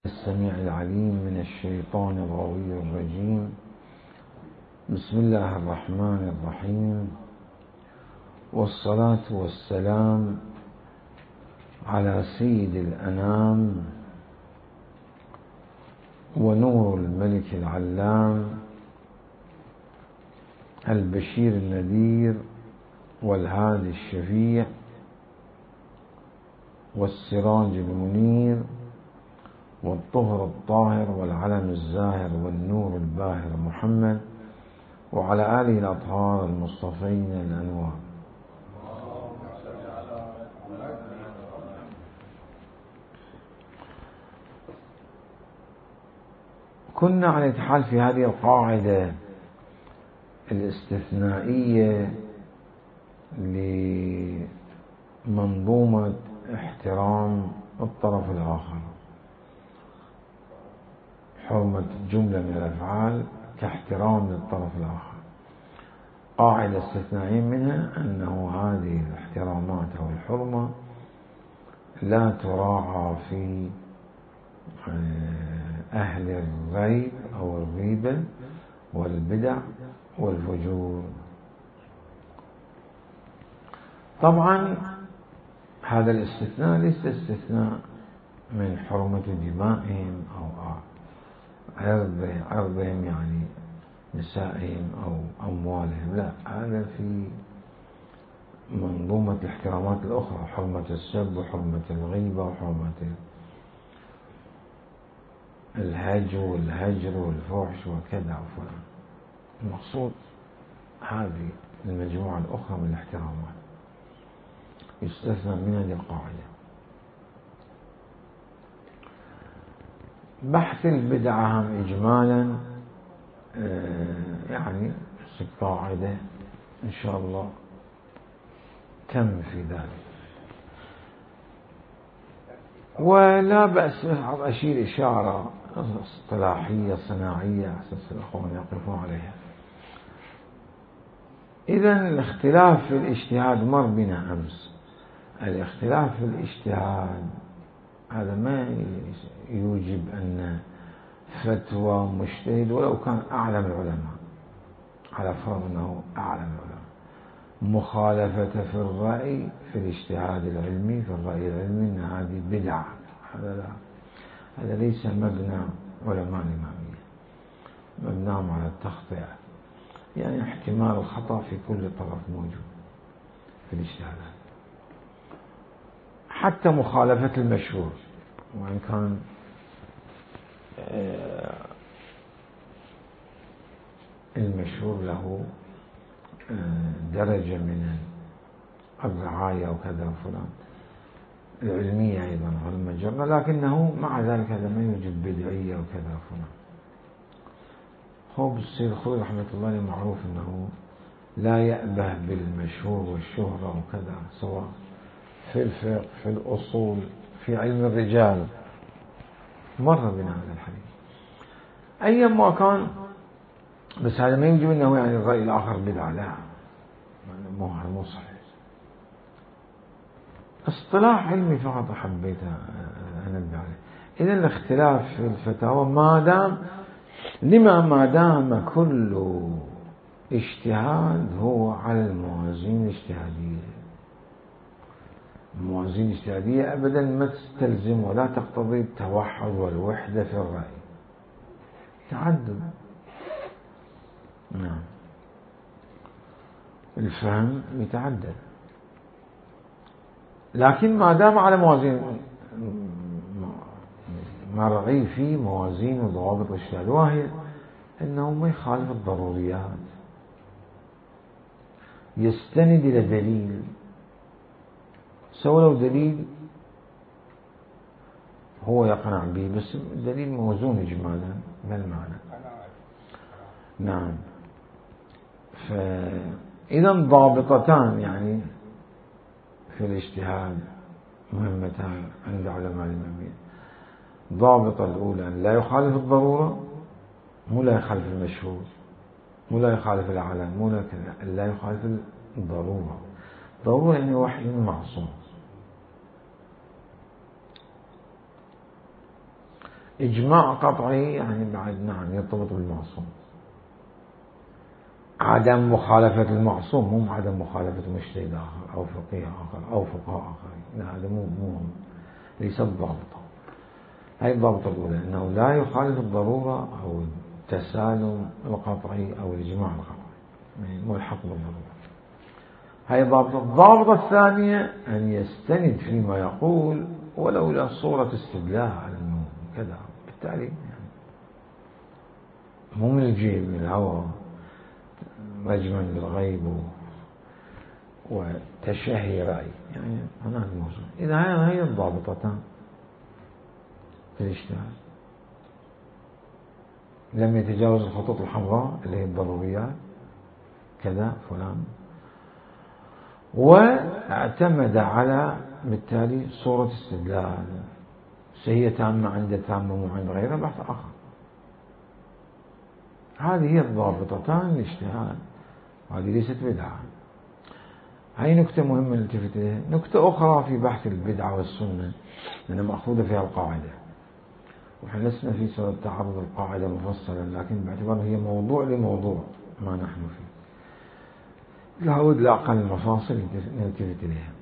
السميع العليم من الشيطان الغوي الرجيم. بسم الله الرحمن الرحيم، والصلاة والسلام على سيد الأنام ونور الملك العلام البشير النذير والهادي الشفيع والسراج المنير والطهر الطاهر والعلم الزاهر والنور الباهر محمد وعلى آله الأطهار المصطفين الأنوار. كنا عن نتحدث في هذه القاعدة الاستثنائية لمنظومة احترام الطرف الآخر، حرمة جملة من الأفعال كاحترام للطرف الآخر. قاعدة استثنائية منها أنه هذه الاحترامات أو الحرمة لا تراعى في أهل الريب أو الغيبة والبدع والفجور. طبعا هذا الاستثناء ليس استثناء من حرمة دمائهم أو عرضهم، يعني نسائهم أو أموالهم، لا، هذا في منظومة الاحترامات الأخرى، حرمة السب وحرمة الغيبة وحرمة الهجر والفحش وكذا وفلان. المقصود هذه المجموعة الأخرى من الاحترامات يستثنى من هذه القاعدة. بحث البدعة هم إجمالا يعني قاعدة إن شاء الله تم في ذلك، ولا بأس أشير إشارة اصطلاحية صناعية أساس الأخوان يقفون عليها. إذن الاختلاف في الاجتهاد مر بنا أمس. الاختلاف في الاجتهاد هذا ما يوجب أن فتوى مجتهد ولو كان أعلم العلماء، على فرض أنه أعلم العلماء، مخالفة في الرأي في الاجتهاد العلمي، في الرأي العلمي، أن هذه بدعة. هذا ليس مبنى علماء الإمامية، مبناهم على التخطئة، يعني احتمال الخطأ في كل طرف موجود في الاجتهادات، حتى مخالفة المشهور، وإن كان المشهور له درجة من الرعاية وكذا وفلان، العلمية أيضا على المجرة، لكنه مع ذلك هذا ما يوجد بدعية وكذا وفلان. هو بالسيد الخوي رحمة الله عليه معروف أنه لا يأبه بالمشهور والشهرة وكذا، سواء في الفقه، في الأصول، في علم الرجال، مر بنا هذا الحديث أيما كان. بس هذا ما يوجب أنه يعني الرأي الآخر بدعة، لا، مو صحيح. اصطلاح علمي فقط حبيت أنبه عليه. إذن الاختلاف في الفتاوى ما دام كل اجتهاد هو على الموازين الاجتهادية. الموازين الاجتهادية أبدا ما تستلزم ولا تقتضي التوحد والوحدة في الرأي، تعدد، نعم، الفهم يتعدد، لكن ما دام على موازين مرعي في موازين وضوابط الاجتهاد، وهي أنه ما يخالف الضروريات، يستند إلى دليل، سواء لو دليل هو يقنع به بس دليل موزون إجمالا بالمعنى، نعم. فإذا ضابطتان يعني في الاجتهاد مهمتان عند علماء الإمامية. ضابطة الأولى أن لا يخالف الضرورة، مو لا يخالف المشهور، مو لا يخالف العلم، مو لا يخالف الضرورة. ضرورة يعني وحي معصوم. إجماع قطعي يعني بعد نعم يرتبط بالمعصوم. عدم مخالفة المعصوم مو عدم مخالفة مجتهد آخر أو فقيه آخر أو فقهاء آخرين، لا هذا مو ليس الضابطة. هاي الضابطة الأولى، أنه لا يخالف الضرورة أو التسالم القطعي أو الإجماع القطعي، ملحق بالضرورة. هاي الضابطة. الضابطة الثانية أن يستند فيما يقول ولو إلى صورة استدلال على أنه كذا، بالتالي يعني مو من الجيب من الهوى رجما بالغيب وتشهي رأي، يعني هناك موضوع. إذا هي الضابطتان في الاجتهاد، لم يتجاوز الخطوط الحمراء اللي هي الضروريات كذا فلان، واعتمد على بالتالي صورة استدلال، هي تامة عند تامة مو عند غيره، بحث آخر. هذه هي الضابطتان للاجتهاد، هذه ليست بدعة. هاي نكتة مهمة نلتفت إليها. نكتة أخرى في بحث البدعة والسنة لأنها مأخوذة فيها القاعدة، ونحن لسنا في صدد تعرض القاعدة مفصلا، لكن باعتبار هي موضوع لموضوع ما نحن فيه لابد لأقل المفاصل نلتفت إليها.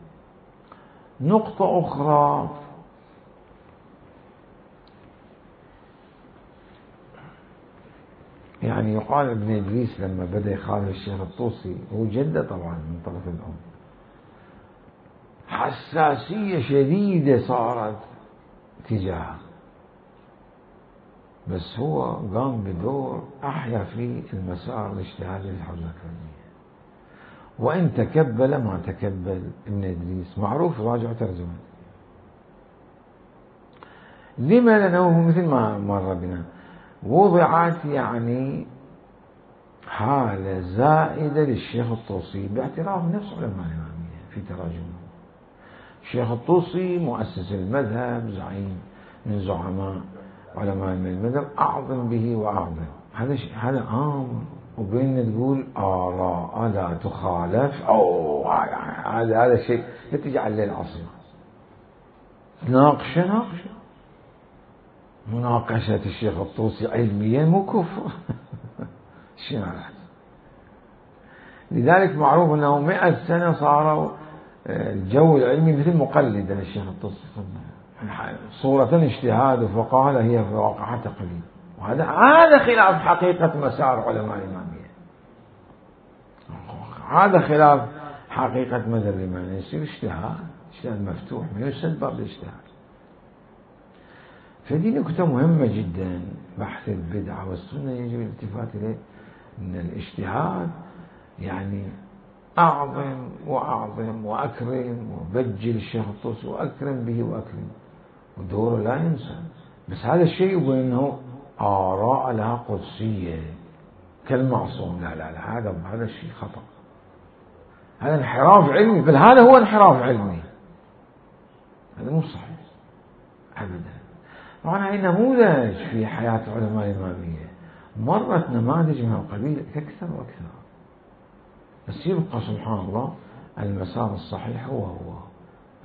نقطة أخرى يعني يقال ابن إدريس لما بدأ يخالف الشيخ الطوسي، هو جده طبعا من طرف الأم، حساسية شديدة صارت تجاهه، بس هو قام بدور أحيا فيه المسار الاجتهادي للحوزة الكرمية، وإن تكبل ما تكبل ابن إدريس معروف، راجع ترجمة. لما؟ لأنه مثل ما مر بنا وضعت يعني حالة زائدة للشيخ الطوسي باعتراف نفس علماء الإمامية في تراجمه. الشيخ الطوسي مؤسس المذهب، زعيم من زعماء علماء المذهب، أعظم به وأعظم، هذا عام، وبين تقول آراء لا تخالف، أو هذا شيء لا تجعل له العصر. ناقشة مناقشة الشيخ الطوسي علميا مو كفر. شنو لذلك معروف أنه 100 سنة صاروا الجو العلمي مثل مقلد للشيخ الطوسي، صورة اجتهاد وفقاهة هي في واقعها تقليد، وهذا خلاف حقيقة مسار علماء الإمامية، هذا خلاف حقيقة مذهب الإمامية. يصير اجتهاد مفتوح ما يسد باب الاجتهاد. فدي نكتة مهمة جدا. بحث البدعة والسنة يجب الالتفات إليه، أن الاجتهاد يعني أعظم وأعظم وأكرم وبجل الشيخ الطوسي وأكرم به وأكرم، ودوره لا ينسى. بس هذا الشيء يقول أنه آراء لها قدسية كالمعصوم، لا هذا الشيء خطأ، هذا انحراف علمي، بل هذا هو انحراف علمي، هذا مو صحيح أبدا. طبعا هي نموذج في حياة علماء الإمامية، مرت نماذج من القبيل أكثر وأكثر، بس يبقى سبحان الله المسار الصحيح هو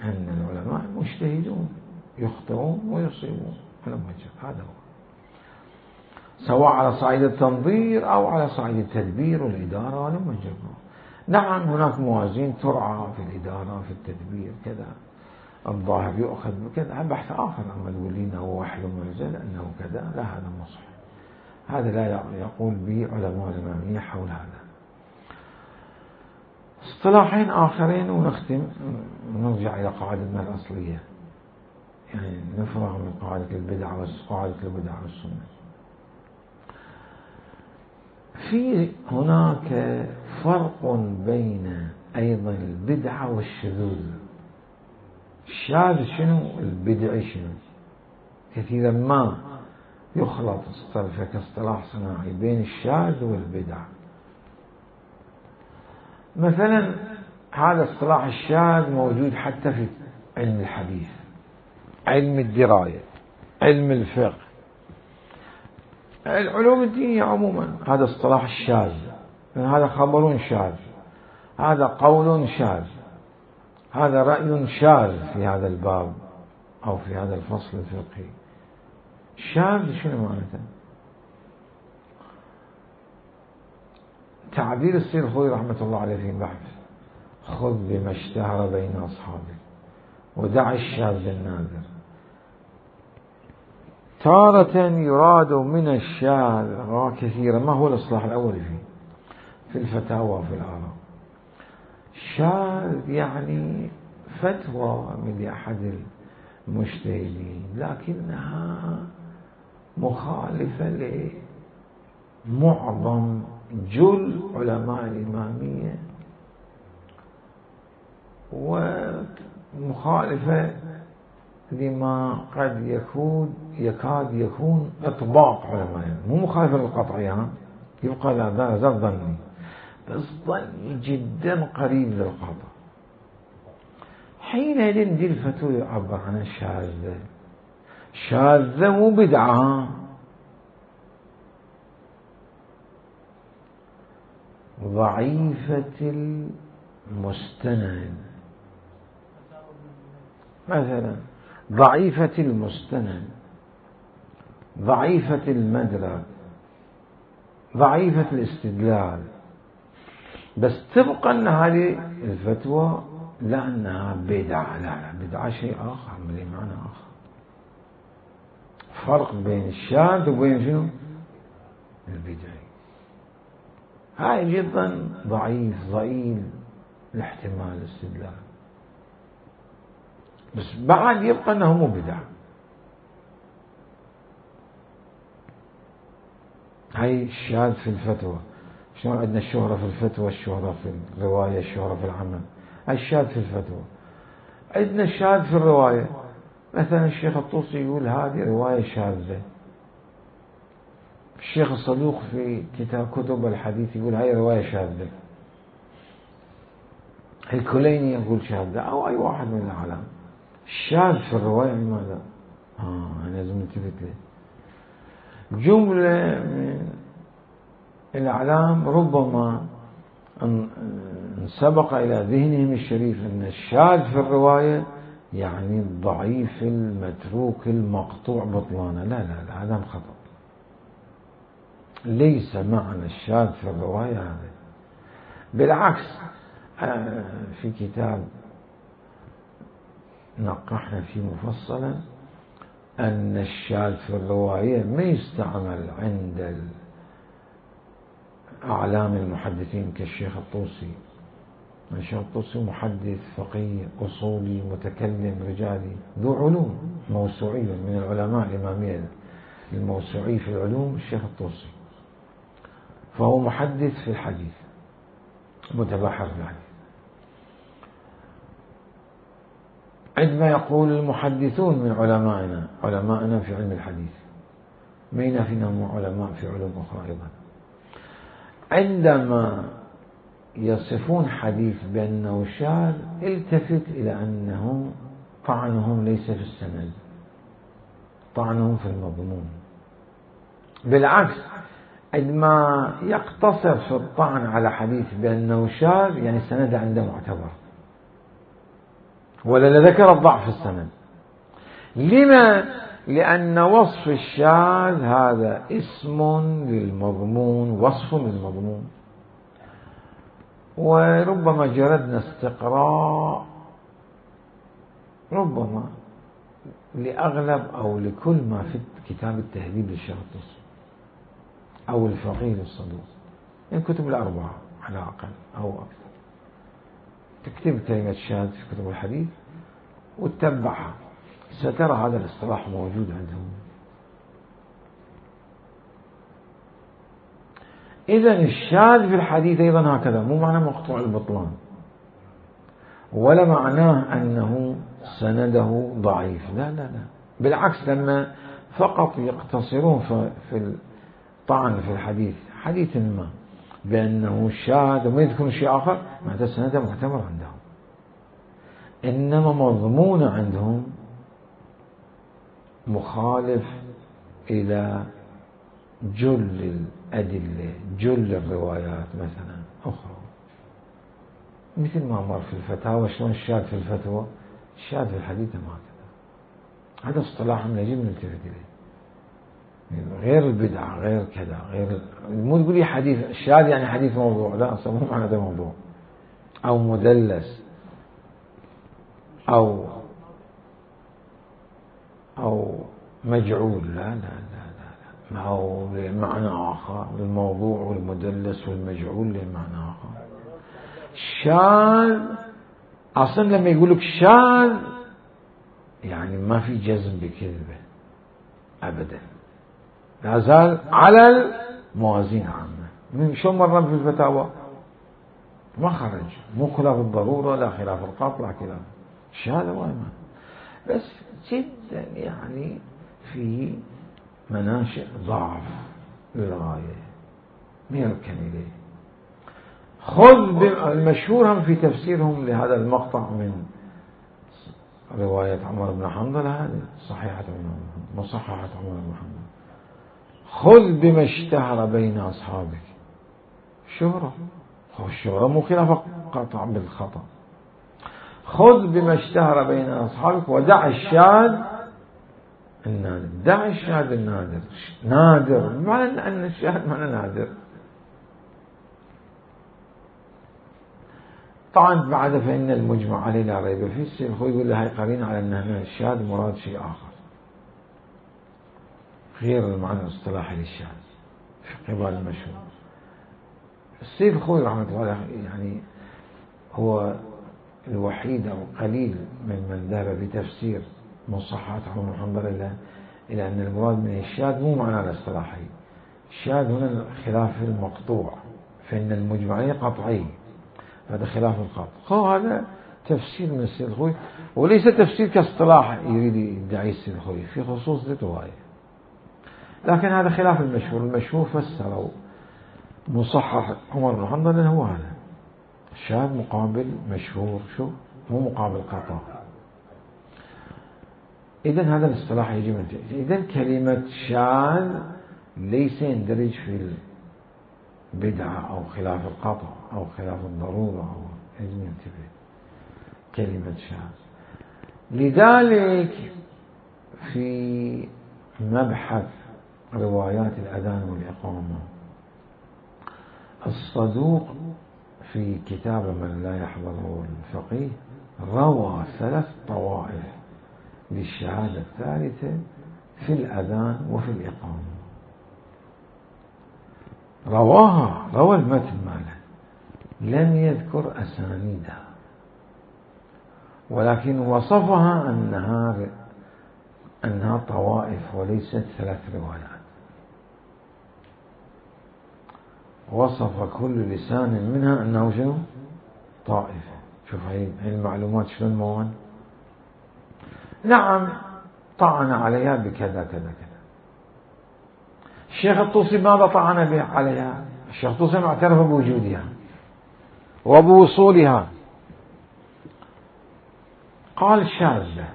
أن العلماء مجتهدون، يخطئون ويصيبون على وجه، هذا هو، سواء على صعيد التنظير أو على صعيد التدبير والإدارة ولا وجه. نعم هناك موازين ترعى في الإدارة في التدبير كذا، الظاهر يؤخذ بكذا، بحث آخر. أما تقول لي أنه وحي منزل أنه كذا، لا هذا مو صحيح، هذا لا يقول به علماء الإمامية حول هذا. اصطلاحين آخرين ونختم، نرجع إلى قاعدتنا الأصلية، يعني نفرغ من قاعدة البدعة والسنة. في هناك فرق بين أيضا البدعة والشذوذ. الشاذ شنو؟ البدعي شنو؟ كثيرا ما يخلط كاصطلاح صناعي بين الشاذ والبدعة. مثلا هذا اصطلاح الشاذ موجود حتى في علم الحديث، علم الدراية، علم الفقه، العلوم الدينية عموما. هذا اصطلاح الشاذ، هذا خبر شاذ، هذا قول شاذ، هذا رأي شاذ في هذا الباب أو في هذا الفصل الفقهي. شاذ شنو معناته؟ تعبير السيد الخوئي رحمة الله عليه في بحث: خذ بما اشتهر بين أصحابك ودع الشاذ النادر. تارة يراد من الشاذ كثيرا. ما هو الإصلاح الأول في الفتاوى وفي الآراء؟ شاذ يعني فتوى من أحد المجتهدين لكنها مخالفة لمعظم جل علماء الإمامية، ومخالفة لما قد يكاد يكون إطباق علماء، مو مخالفة للقطعية، يبقى لا زال ظني، بس ظني جدا قريب للقطع. حينئذ دي الفتوى يعبر عنها شاذة. شاذة مو بدعة، ضعيفة المستند، مثلا ضعيفة المستند، ضعيفة المدرك، ضعيفة الاستدلال، بس تبقى أن هذه الفتوى لا أنها بدعة. لا، بدعة شيء آخر، من معنى آخر. فرق بين الشاذ وبين شنو؟ البدعي. هاي جدا ضعيف، ضئيل الاحتمال الاستدلال، بس بعد يبقى أنه مو بدعة. هاي الشاذ في الفتوى. شلون عندنا الشهرة في الفتوى، الشهرة في الرواية، الشهرة في العمل. هاي الشاذ في الفتوى. عندنا الشاذ في الرواية، مثلا الشيخ الطوسي يقول هذه رواية شاذة. الشيخ الصدوق في كتب الحديث يقول هاي رواية شاذة. الكليني يقول شاذة، أو أي واحد من الأعلام. الشاذ في الرواية لماذا؟ أنا لازم نلتفت له. جملة من الأعلام ربما سبق إلى ذهنهم الشريف أن الشاذ في الرواية يعني الضعيف المتروك المقطوع بطلانه. لا، هذا خطأ. ليس معنى الشاذ في الرواية هذا. بالعكس، في كتاب نقحنا فيه مفصلا أن الشاذ في الرواية ما يستعمل عند أعلام المحدثين كالشيخ الطوسي. الشيخ الطوسي محدث فقيه أصولي متكلم رجالي ذو علوم موسوعية، من العلماء الإمامية الموسوعي في العلوم الشيخ الطوسي، فهو محدث في الحديث، متبحر في الحديث. عندما يقول المحدثون من علمائنا في علم الحديث، ما ينافينا علماء في علوم أخرى أيضا، عندما يصفون حديث بأنه شاذ التفت إلى أنهم طعنهم ليس في السند، طعنهم في المضمون. بالعكس، عندما يقتصر في الطعن على حديث بأنه شاذ يعني السند عنده معتبر، ولا ذكر الضعف في السند. لما؟ لأن وصف الشاذ هذا اسم للمضمون، وصف للمضمون. وربما جردنا استقراء ربما لأغلب أو لكل ما في كتاب التهذيب للشيخ الطوسي أو الفقيه للصدوق، الكتب الأربعة على الأقل أو أكثر، تكتب كلمة شاذ في كتب الحديث وتتبعها، سترى هذا الاصطلاح موجود عندهم. إذن الشاذ في الحديث أيضا هكذا، مو معنى مقطوع البطلان، ولا معناه أنه سنده ضعيف. لا، بالعكس، لما فقط يقتصرون في الطعن في الحديث، حديث ما بأنه شاذ وما يذكرون شيء آخر، معناته سنده معتبر عندهم. إنما مضمون عندهم مخالف إلى جل الأدلة، جل الروايات مثلا أخرى، مثل ما مر في الفتاوى. شلون الشاذ في الفتوى، الشاذ في الحديث ما هكذا. هذا اصطلاح يجب أن نلتفت إليه. غير البدعة، غير كذا، غير مو تقول لي حديث الشاذ يعني حديث موضوع، لا أصلا مو معنى هذا موضوع أو مدلس أو مجعول، لا لا لا لا، أو لمعنى آخر، الموضوع والمدلس والمجعول لمعنى آخر. الشاذ أصلا لما يقول لك شاذ يعني ما في جزم بكذبه أبدا، لا زال على الموازين عامة. من شو مرة في الفتاوى ما خرج، مو خلاف الضرورة لا خلاف القطع لا خلاف الشهادة وما، بس جدا يعني في مناشئ ضعف للغاية ما يركن إليه. خذ المشهور هم في تفسيرهم لهذا المقطع من رواية عمر بن حنظلة، هذه صحيحة مصححة عمر بن حنظلة، خذ بما اشتهر بين أصحابك. شهرة، الشهرة مو خلاف قطع بالخطأ. خذ بما اشتهر بين أصحابك ودع الشاذ النادر. دع الشاذ النادر، نادر بمعنى أن الشاذ معنى نادر. طبعا بعد فإن المجمع عليه لا ريب فيه. السيد الخوي يقول له هاي قرينة على أن الشاذ مراد شيء آخر غير المعنى الاصطلاحي للشاذ في قبال المشهور. السيد الخوي رحمة الله عليه يعني هو الوحيد أو قليل من ذهب بتفسير مصححات عمر بن حنظلة إلى أن المراد من الشاذ مو معنى الاصطلاحي. الشاذ هنا خلاف المقطوع، فإن المجمع عليه قطعي، هذا خلاف القطع. هذا تفسير من السيد الخوي، وليس تفسير كاصطلاح يريد يدعي السيد الخوي في خصوص الرواية، لكن هذا خلاف المشهور. المشهور فسروا مصحح عمر بن حنظلة هو هذا الشاذ مقابل مشهور، شو مو مقابل قطع. إذن هذا الاصطلاح يجب أن إذن كلمة شاذ ليس يندرج في البدعة أو خلاف القطع أو خلاف الضرورة أو يجب أن ينتبه كلمة شاذ. لذلك في مبحث روايات الأذان والإقامة الصدوق في كتاب من لا يحضره الفقيه روى 3 طوائف للشهادة الثالثة في الأذان وفي الإقامة. روى المتن ماله، لم يذكر أسانيدها، ولكن وصفها أنها طوائف وليست 3 روايات. وصف كل لسان منها أنه شنو؟ طائفة. شوف هاي المعلومات شلون موان. نعم طعن عليها بكذا كذا كذا. الشيخ الطوسي ماذا طعن به عليها؟ الشيخ الطوسي اعترف بوجودها وبوصولها، قال شاذة.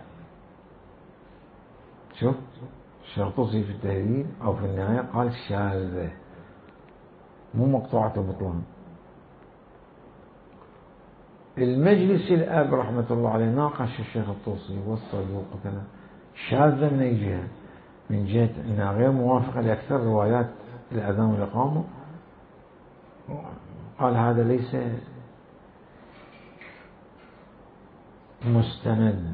شوف الشيخ الطوسي في التهذيب أو في النهاية قال شاذة مو مقطوعة البطلان. المجلس الأب رحمة الله عليه ناقش الشيخ الطوسي والصدوق وكذا. شاذة من أي جهة؟ من جهة أنها غير موافقة لأكثر روايات الأذان والإقامة. قال هذا ليس مستند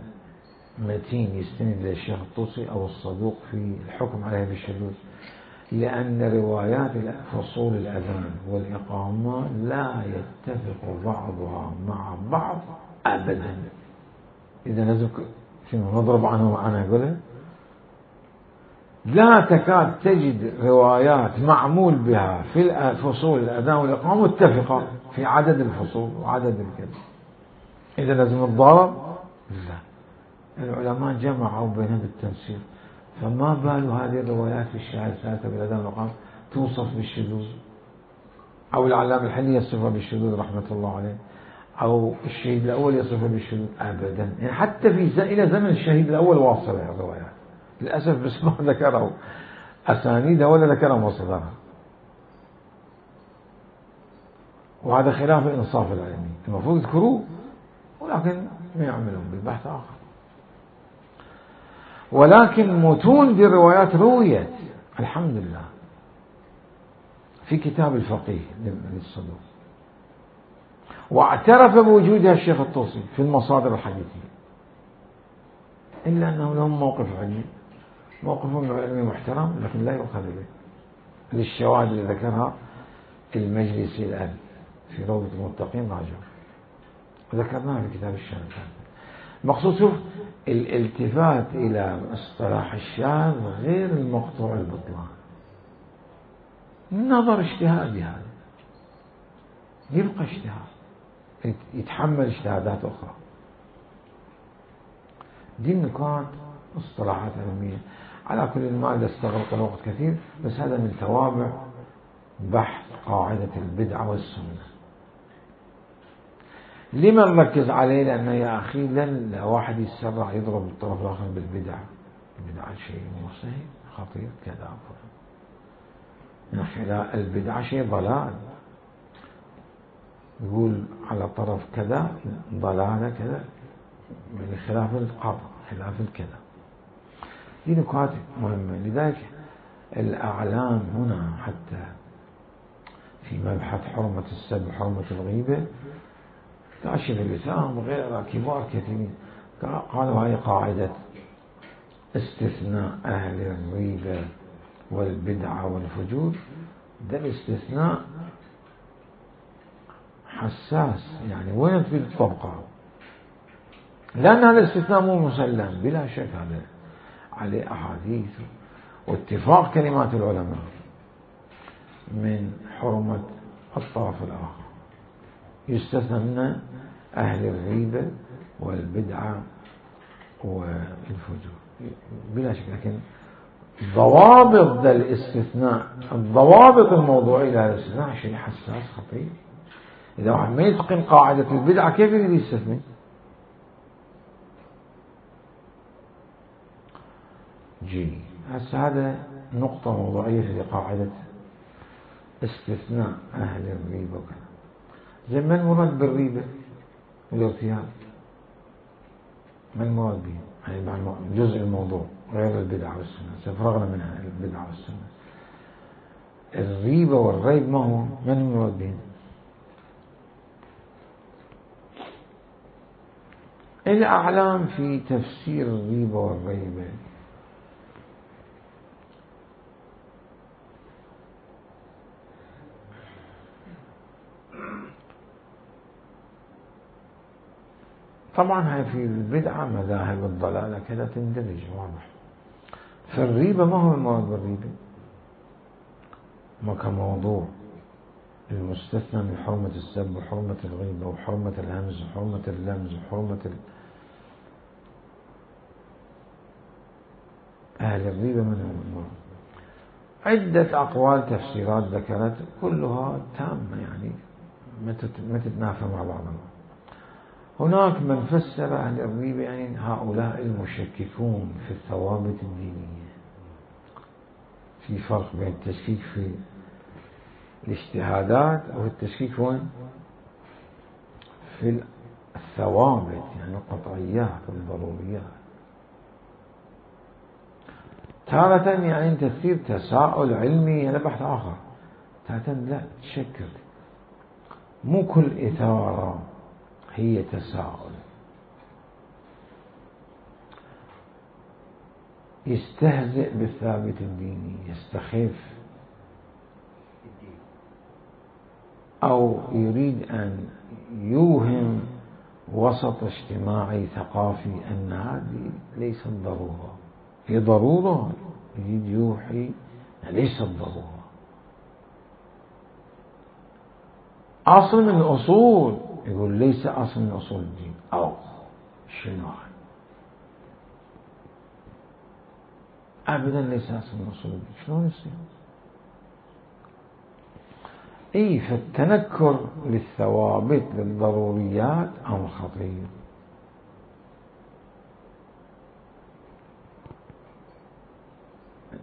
متين يستند للشيخ الطوسي أو الصدوق في الحكم عليه بالشذوذ، لأن روايات فصول الأذان والإقامة لا يتفق بعضها مع بعض أبدا. إذا لازم شنو نضرب عنه معنا يقولها، لا تكاد تجد روايات معمول بها في فصول الأذان والإقامة متفقة في عدد الفصول وعدد الكذا. إذا لازم الضرب لا. العلماء جمعوا بينها بالتنسيق، فما بال هذه الروايات في الشهادة الثالثة بالأذان والإقامة توصف بالشذوذ، أو العلامة الحلي يصفها بالشذوذ رحمة الله عليه، أو الشهيد الأول يصفها بالشذوذ أبدا. يعني حتى إلى زمن الشهيد الأول واصلة الروايات للأسف، بس ما ذكروا أسانيدها ولا ذكروا مصدرها، وهذا خلاف الإنصاف العلمي. المفروض يذكروه ولكن ما يعملون بالبحث آخر. ولكن متون بالروايات رويت الحمد لله في كتاب الفقيه للصدوق، واعترف بوجودها الشيخ الطوسي في المصادر الحديثية، إلا أنه لهم موقف علمي، موقفهم علمي محترم لكن لا يؤخذ به للشواهد اللي ذكرها المجلسي الآن في روضة المتقين راجع ذكرناها في كتاب الشاذ. المقصود شوف الالتفات إلى اصطلاح الشاذ غير المقطوع البطلان، نظر اجتهادي هذا يبقى اجتهاد يتحمل اجتهادات أخرى. دي النقاط اصطلاحات علمية. على كل ما استغرق الوقت كثير، بس هذا من توابع بحث قاعدة البدعة والسنة. لما نركز عليه؟ لأنه يا أخي لن واحد يتسرع يضرب الطرف الآخر بالبدعة. البدعة شيء مو صحيح خطير كذا، لا البدعة شيء ضلال، يقول على طرف كذا ضلالة كذا من خلاف القطع خلاف الكذا. دي نقاط مهمة. لذلك الأعلام هنا حتى في مبحث حرمة السب وحرمة الغيبة كاشف اللسان وغيرها كبار كثيرين قالوا هاي قاعدة استثناء أهل الغيبة والبدعة والفجور، ده الاستثناء حساس، يعني وين تريد تطبقه؟ لأن هذا الاستثناء مو مسلم بلا شك، هذا عليه أحاديث واتفاق كلمات العلماء من حرمة الطرف الآخر، يستثنى من أهل الغيبة والبدعة والفجور بلا شك. لكن ضوابط ذا الاستثناء، الضوابط الموضوعية لهذا الاستثناء شيء حساس خطير. إذا واحد ما يتقن قاعدة البدعة كيف يريد يستثني؟ هسه هذا نقطة موضوعية في قاعدة استثناء أهل الريبة وكذا. زي ما المراد بالريبة والارتياب، ما المراد به؟ يعني جزء الموضوع غير البدعة والسنة، سفرغنا منها البدعة والسنة. الريبة والريب ما هو؟ من المراد به؟ الأعلام في تفسير الريبة والريبة طبعا هاي في البدعة مذاهب الضلالة كذا تندرج واضح. فالريبة ما هو المراد بالريبة؟ ما كموضوع المستثنى من حرمة السب وحرمة الغيبة وحرمة الهمز وحرمة اللمز وحرمة أهل الريبة من المراد. عدة أقوال تفسيرات ذكرت كلها تامة، يعني ما تتنافى مع بعضها. هناك من فسر أهل الريبة يعني هؤلاء المشككون في الثوابت الدينية. في فرق بين التشكيك في الاجتهادات والتشكيك وين؟ في الثوابت، يعني القطعيات والضروريات. تارة يعني أنت تصير تساؤل علمي هذا بحث آخر، تارة لا تشكل، مو كل إثارة هي تساؤل. يستهزئ بالثابت الديني، يستخف أو يريد أن يوهم وسط اجتماعي ثقافي أن هذه ليست ضرورة، هي ضرورة، يريد يوحي ليست ضرورة. أصل من الأصول يقول ليس أصل من أصول الدين، أو شنو أبدا ليس أصل من أصول الدين، شلون يصير؟ فالتنكر للثوابت للضروريات أمر خطير.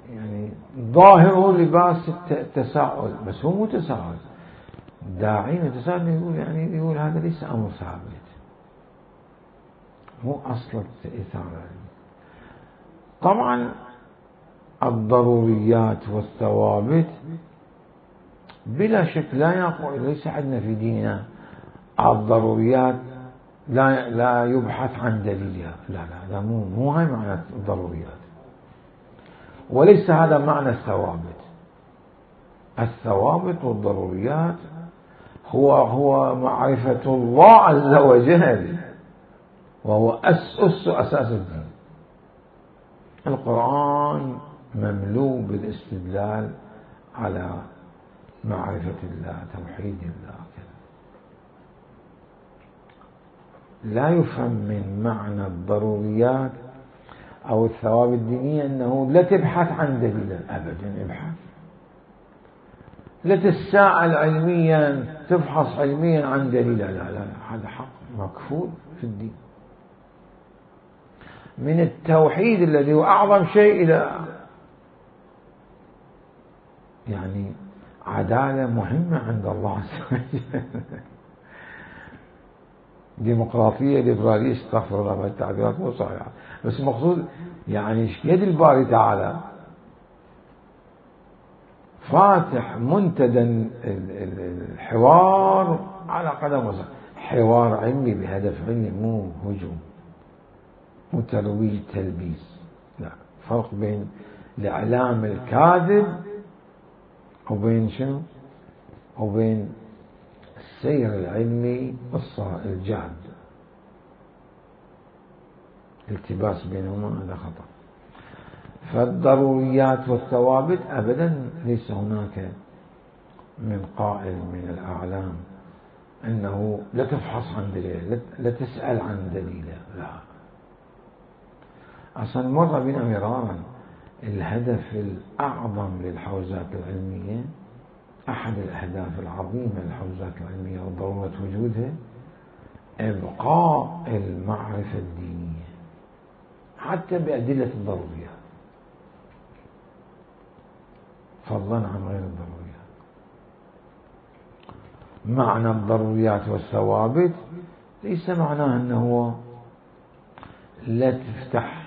يعني ظاهره لباس التساؤل، بس هو مو تساؤل. داعين التساؤل يقول يعني يقول هذا ليس أمر ثابت، مو أصل الإثارة. طبعا الضروريات والثوابت بلا شك لا يقول، ليس عندنا في ديننا الضروريات لا يبحث عن دليلها، لا مو هاي معنى الضروريات، وليس هذا معنى الثوابت. الثوابت والضروريات هو معرفة الله عز وجل، وهو أساس الدين. القرآن مملوء بالاستدلال على معرفة الله، توحيد الله كذا. لا يفهم من معنى الضروريات أو الثوابت الدينية أنه لا تبحث عن دليل، أبدا ابحث، لا تتساءل علميا تفحص علميا عن دليل، لا هذا حق مكفول في الدين. من التوحيد الذي هو أعظم شيء إلى يعني عدالة مهمة عند الله عز وجل. ديمقراطية ليبرالية، استغفر الله، التعبيرات مو صحيحة، بس المقصود يعني يد الباري تعالى فاتح منتدى الحوار على قدم وساق، حوار علمي بهدف علمي، مو هجوم، مو ترويج تلبيس، لا. فرق بين الإعلام الكاذب وبين شنو؟ وبين السير العلمي الجاد. الالتباس بينهما هذا خطأ. فالضروريات والثوابت أبدا ليس هناك من قائل من الأعلام أنه لا تفحص عن دليل، لا تسأل عن دليل، لا. أصلا مر بنا مرارا الهدف الأعظم للحوزات العلمية، أحد الأهداف العظيمة للحوزات العلمية وضرورة وجودها إبقاء المعرفة الدينية حتى بأدلة الضروريات، فضلا عن غير الضروريات. معنى الضروريات والثوابت ليس معناه أنه لا تفتح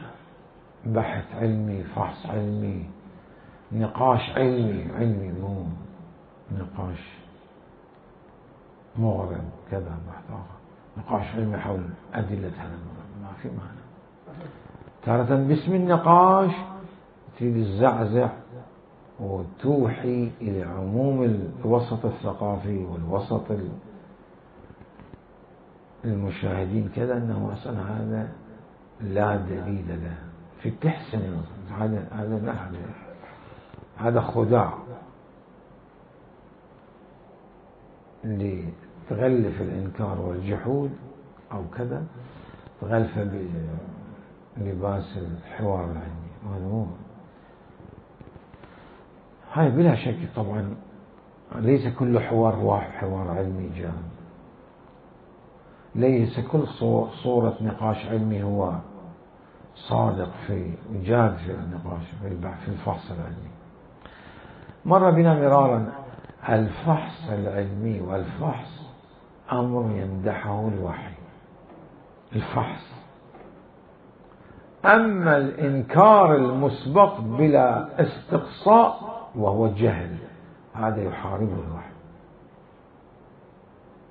بحث علمي، فحص علمي، نقاش علمي مو نقاش مغرب كذا، بحث آخر، نقاش علمي حول أدلة هذا المغرب، ما في معنى. تارة باسم النقاش تريد الزعزع وتوحي إلى عموم الوسط الثقافي والوسط المشاهدين كذا، أنه أصلا هذا لا دليل له، في تحسن هذا لا، هذا خداع اللي تغلف الإنكار والجحود أو كذا، تغلفه بلباس الحوار العلمي. هاي بلا شك طبعا ليس كل حوار هو حوار علمي جاد، ليس كل صورة نقاش علمي هو صادق في جاد في النقاش في الفحص العلمي. مر بنا مرارا الفحص العلمي والفحص أمر يمدحه الوحي، الفحص. أما الإنكار المسبق بلا استقصاء وهو الجهل، هذا يحاربه الوحي،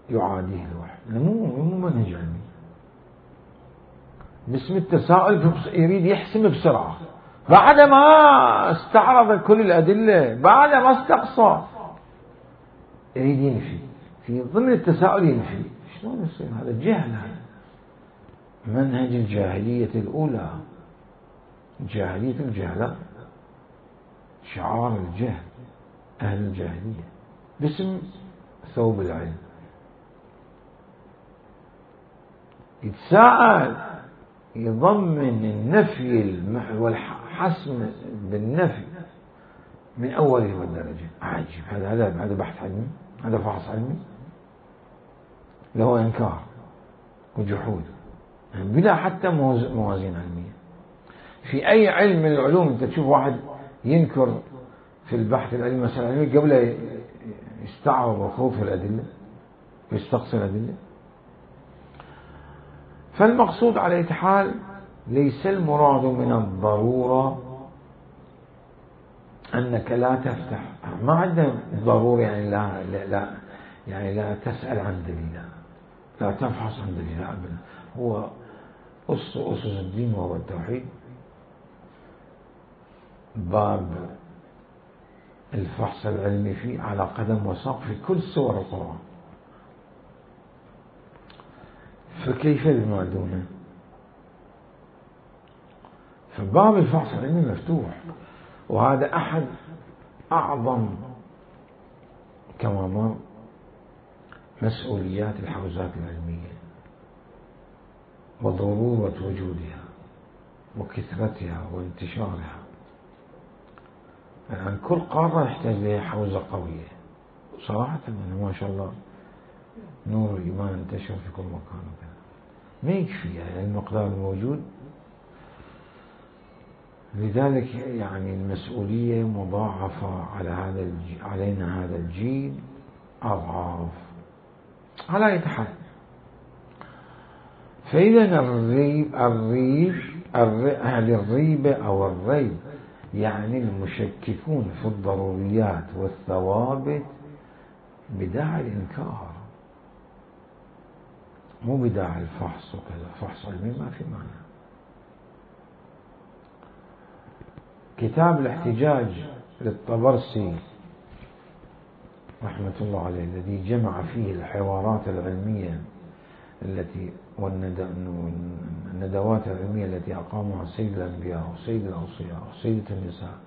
يعاديه الوحي، مو منهج علمي. باسم التساؤل يريد يحسم بسرعة بعد ما استعرض كل الأدلة، بعد ما استقصى يريد ينفي، في ضمن التساؤل ينفي. شلون يصير هذا؟ جهل، هذا منهج الجاهلية الأولى، جاهلية الجهلاء، شعار الجهل، أهل الجاهلية، باسم ثوب العلم. يتساءل، يضمن النفي والحسم بالنفي من أوله والدرجة. عجيب، هذا بحث علمي، هذا فحص علمي، له إنكار وجحود بلا حتى موازين علمية. في أي علم من العلوم أنت تشوف واحد ينكر في البحث العلمي مثلا علمي قبل يستعرض وخوف الأدلة ويستقصي الأدلة؟ فالمقصود على أي حال ليس المراد من الضرورة أنك لا تفتح، ما عندنا ضروري يعني يعني لا تسأل عن دليل، لا تفحص عن دليل أبدا. هو أسس الدين وهو التوحيد، باب الفحص العلمي فيه على قدم وساق في كل سور القرآن، فكيف بما دونه؟ فباب الفحص العلمي مفتوح، وهذا أحد أعظم كما مر مسؤوليات الحوزات العلمية وضرورة وجودها وكثرتها وانتشارها. يعني كل قارة يحتاج لها حوزة قوية صراحة. ما شاء الله نور الإيمان انتشر في كل مكان وكذا، ما يكفي يعني المقدار الموجود. لذلك يعني المسؤولية مضاعفة علينا هذا الجيل أضعاف على يتحد. فإذا أهل الريبة أو الريب يعني المشككون في الضروريات والثوابت بداعي الإنكار، مو بداعي الفحص وكذا. فحص علمي ما في معنى. كتاب الاحتجاج للطبرسي رحمة الله عليه الذي جمع فيه الحوارات العلمية والندوات العلمية التي أقامها سيد الأنبياء وسيد الأوصياء وسيدة النساء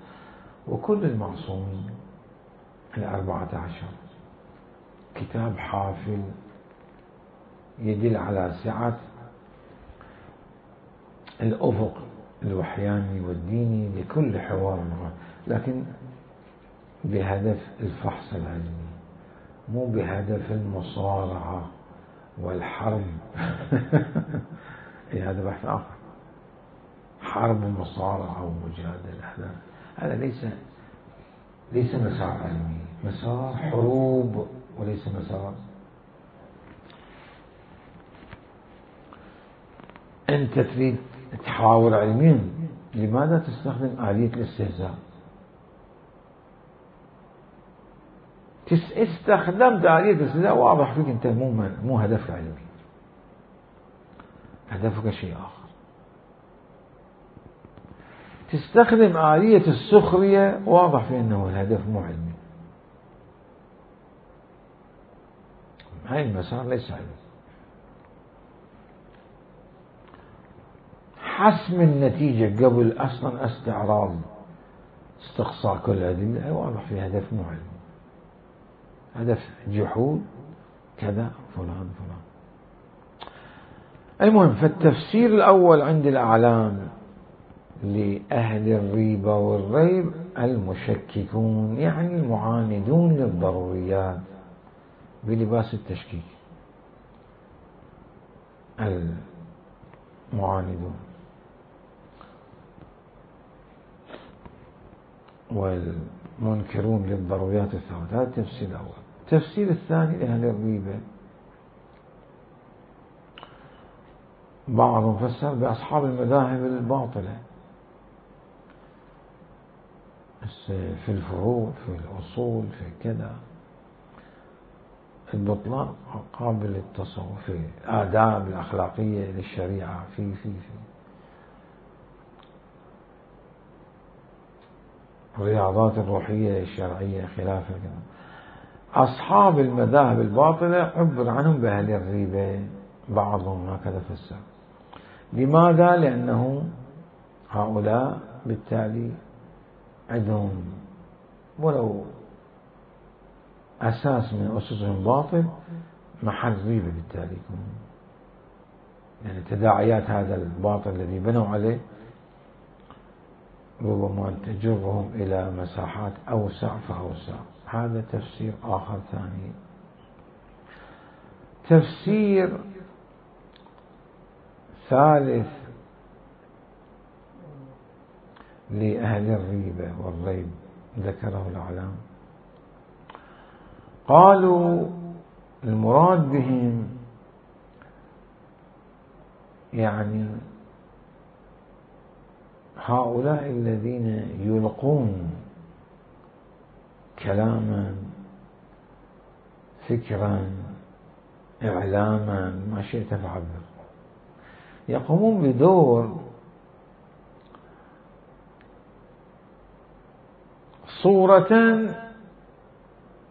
وكل المعصومين 14، كتاب حافل يدل على سعة الأفق الوحياني والديني لكل حوار، لكن بهدف الفحص العلمي، مو بهدف المصارعة والحرب. هذا بحث آخر، حرب ومصارعة ومجادلة. هذا ليس مسار علمي، مسار حروب وليس مسار. أنت تريد تحاور علميا، لماذا تستخدم آلية الاستهزاء؟ استخدمت آلية الاستهزاء، واضح فيك أنت مو هدفك علمي، هدفك شيء آخر. تستخدم آلية السخرية، واضح في أنه الهدف مو علمي. هاي المسار ليس علمي. حسم النتيجة قبل أصلا استقصاء كل الأدلة، واضح في هدف مو علمي، هدف جحود كذا فلان. المهم، فالتفسير الأول عند الأعلام لأهل الريبة والريب المشككون، يعني المعاندون للضروريات بلباس التشكيك، المعاندون والمنكرون للضروريات الثابتة. هذا التفسير الأول. التفسير الثاني لأهل الريبة، بعضهم فسر بأصحاب المذاهب الباطلة في الفروع، في الأصول، في كذا، البطلان قابل للتصور، في الآداب الأخلاقية للشريعة، في الرياضات الروحية الشرعية خلافة كذا. أصحاب المذاهب الباطلة عبر عنهم بأهل الريبة، بعضهم هكذا فسر. لماذا؟ لأنه هؤلاء بالتالي عندهم ولو أساس من أسسهم باطل، محل ريبة بالتالي، يعني تداعيات هذا الباطل الذي بنوا عليه ربما تجرهم إلى مساحات أوسع فأوسع. هذا تفسير آخر ثاني. تفسير ثالث لأهل الريبة والريب ذكره الأعلام، قالوا المراد بهم يعني هؤلاء الذين يلقون كلاما، فكرا، إعلاما، ما شئت فعبر، يقومون بدور صورة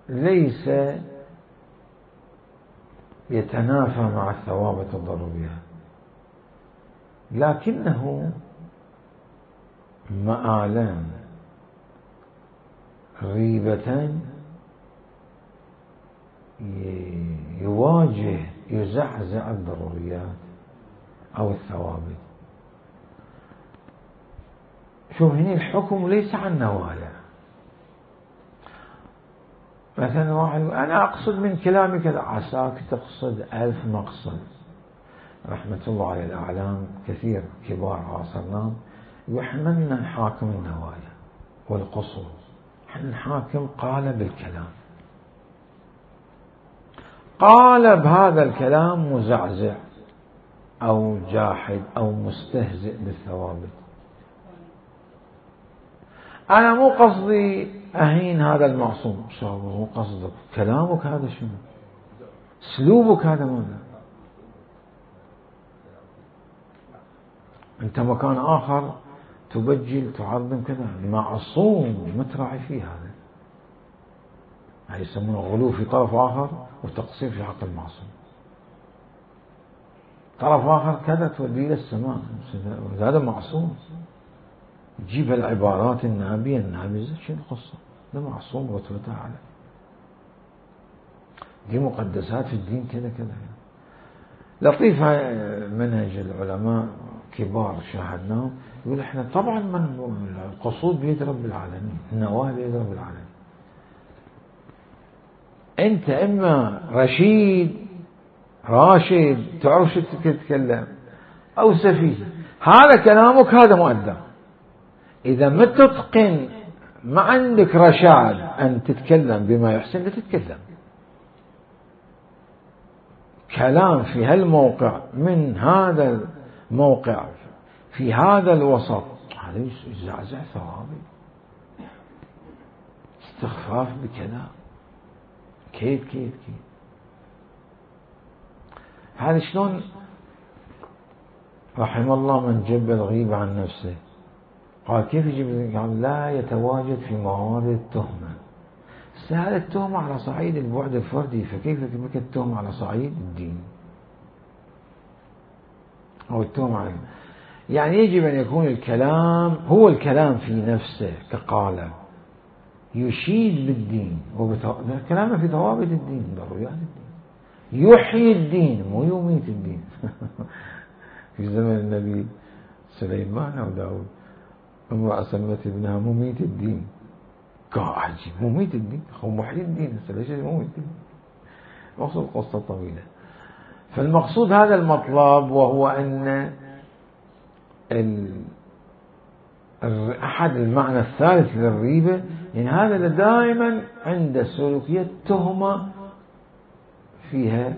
ليس يتنافى مع الثوابت الضرورية، لكنه مآلا غيبة يواجه يزعزع الضروريات أو الثوابت. شوف هنا الحكم ليس عن نوايا. مثلا واحد أنا أقصد من كلامي كذا، عساك تقصد 1000 مقصد. رحمة الله على الأعلام كثير كبار عاصرناهم يحملنا حاكم النوايا والقصود، احنا الحاكم قال بالكلام، قال بهذا الكلام مزعزع أو جاحد أو مستهزئ بالثوابت. أنا مو قصدي أهين هذا المعصوم، مو قصدك، كلامك هذا شنو؟ اسلوبك هذا ماذا؟ أنت مكان آخر تبجل تعظم كذا، معصوم ما تراعي فيه هذا. هذا يسمونه غلو في طرف آخر وتقصير في حق المعصوم. طرف آخر كذا توديه إلى السماء، هذا معصوم. تجيب العبارات النابية النابزة، شنو القصة؟ ده معصوم رتبته أعلى. دي مقدسات في الدين كذا كذا. لطيف منهج العلماء كبار شاهدناهم، يقول احنا طبعا من القصود بيد رب العالمين، النواة بيد رب العالمين. انت اما راشد تعرف شو تتكلم، او سفيه، هذا كلامك هذا مؤدب. اذا ما تتقن، ما عندك رشاد ان تتكلم بما يحسن، لا تتكلم. كلام في هالموقع من هذا الموقع في هذا الوسط، هذا يزعزع ثوابت، استخفاف بكلام، كيف هذا شلون؟ رحم الله من جب الغيبة عن نفسه. قال كيف يجب؟ قال لا يتواجد في موارد التهمة. هذا التهمة على صعيد البعد الفردي، فكيف بك التهمة على صعيد الدين أو التهمة على، يعني يجب أن يكون الكلام هو الكلام في نفسه كقالب يشيد بالدين، الكلام في ضوابط الدين، ضروريات الدين، يحيي الدين مو يميت الدين. في زمن النبي سليمان أو داود امرأة سمت ابنها مميت الدين. قال عجيب، مميت الدين، هو محيي الدين، ليش مميت الدين؟ مقصود قصة طويلة. فالمقصود هذا المطلب، وهو أن أحد المعنى الثالث للريبة، يعني هذا دائما عند سلوكية تهمة فيها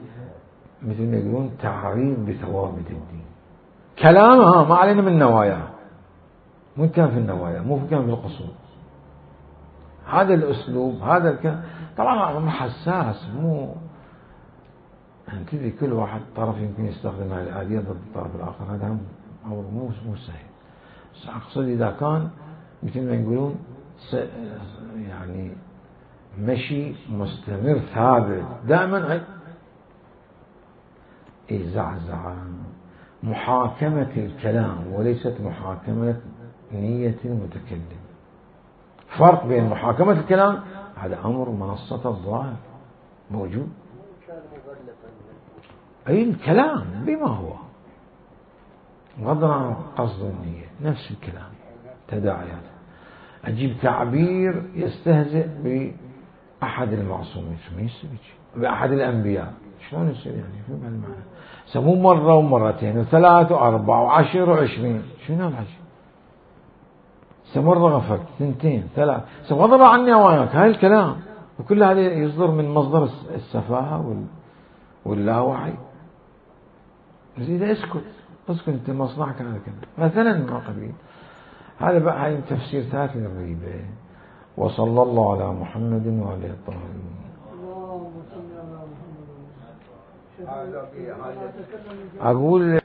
مثل ما يقولون تعريض بثوابت الدين. كلامها ما علينا من نوايا، مو كان في النوايا، مو كان في القصود. هذا الأسلوب، هذا الكلام طبعا أمر حساس، مو تدري كل واحد طرف يمكن يستخدم هذه الآلية ضد الطرف الآخر، هذا أمر مو سهل. بس أقصد إذا كان مثل ما يقولون يعني مشي مستمر ثابت دائما، زعزعة، محاكمة الكلام وليست محاكمة نية المتكلم. فرق بين محاكمة الكلام، هذا أمر منصة الظاهر موجود، أي الكلام بما هو غضا عن قصد النية، نفس الكلام تداعيات. أجيب تعبير يستهزئ بأحد المعصومين، بأحد الأنبياء، شلون يصير يعني؟ شو بهالمعنى؟ سموه مرة ومرتين وثلاث وأربع وعشر وعشرين، شنو العشر؟ مرة غفلت، ثنتين، ثلاث، غضب عني وياك، هاي الكلام، وكل هذا يصدر من مصدر السفاهة واللاوعي. إذا اسكت أنت مصلحك على كذا مثلا ما قبيل. هذا بقى هاي تفسير ثالث للريبة. وصلى الله على محمد وآله الطاهرين. اللهم صل على محمد. أقول